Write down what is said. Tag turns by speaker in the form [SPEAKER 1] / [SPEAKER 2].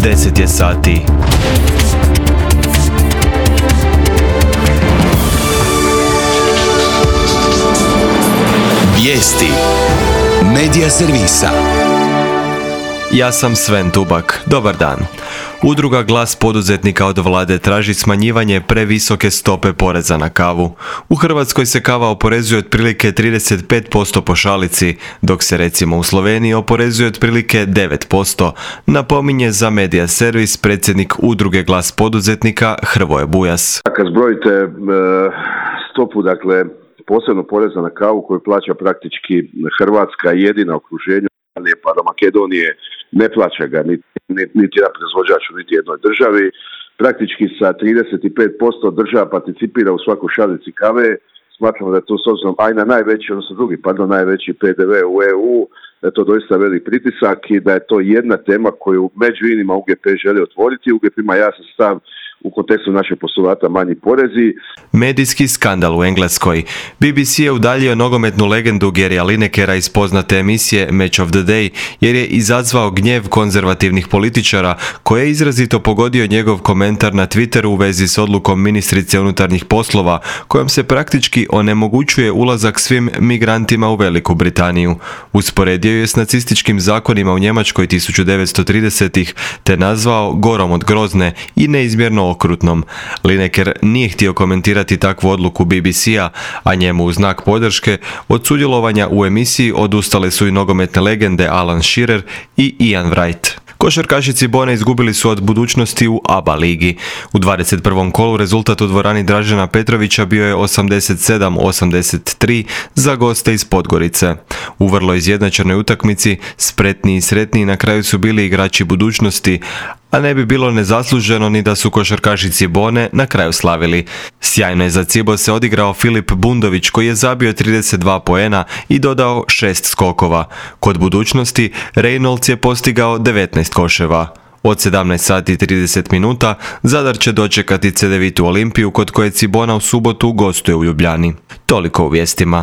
[SPEAKER 1] 10 je sati.
[SPEAKER 2] Vijesti Medija servisa.
[SPEAKER 1] Ja sam Sven Tubak. Dobar dan. Udruga Glas poduzetnika od vlade traži smanjivanje previsoke stope poreza na kavu. U Hrvatskoj se kava oporezuje otprilike 35% po šalici, dok se recimo u Sloveniji oporezuje otprilike 9%, napominje za Medija servis predsjednik Udruge Glas poduzetnika Hrvoje Bujas.
[SPEAKER 3] Kad zbrojite stopu, dakle, posebno poreza na kavu koju plaća praktički Hrvatska, jedina u okruženju, pa do Makedonije ne plaća ga niti jedan proizvođač u niti jednoj državi. Praktički sa 35% država participira u svakoj šalici kave. Smatramo da je to s obzirom na najveći, odnosno najveći PDV u EU, da je to doista velik pritisak i da je to jedna tema koju među inima UGP želi otvoriti. UGP ima jasan stav u kontekstu našeg postulata manji porezi.
[SPEAKER 1] Medijski skandal u Engleskoj. BBC je udaljio nogometnu legendu Garyja Linekera iz poznate emisije Match of the Day jer je izazvao gnjev konzervativnih političara koje je izrazito pogodio njegov komentar na Twitteru u vezi s odlukom ministrice unutarnjih poslova kojom se praktički onemogućuje ulazak svim migrantima u Veliku Britaniju. Usporedio je s nacističkim zakonima u Njemačkoj 1930-ih te nazvao gorom od grozne i neizmjerno okrutnom. Lineker nije htio komentirati takvu odluku BBC-a, a njemu u znak podrške od sudjelovanja u emisiji odustale su i nogometne legende Alan Shearer i Ian Wright. Košarkašici Cibone izgubili su od budućnosti u ABA ligi. U 21. kolu rezultat u dvorani Dražena Petrovića bio je 87-83 za goste iz Podgorice. U vrlo izjednačenoj utakmici spretniji i sretniji na kraju su bili igrači budućnosti, a ne bi bilo nezasluženo ni da su košarkaši Cibone na kraju slavili. Sjajno je za Cibo se odigrao Filip Bundović koji je zabio 32 poena i dodao 6 skokova. Kod budućnosti Reynolds je postigao 19 koševa. Od 17 sati i 30 minuta Zadar će dočekati Cedevitu Olimpiju kod koje Cibona u subotu gostuje u Ljubljani. Toliko u vijestima.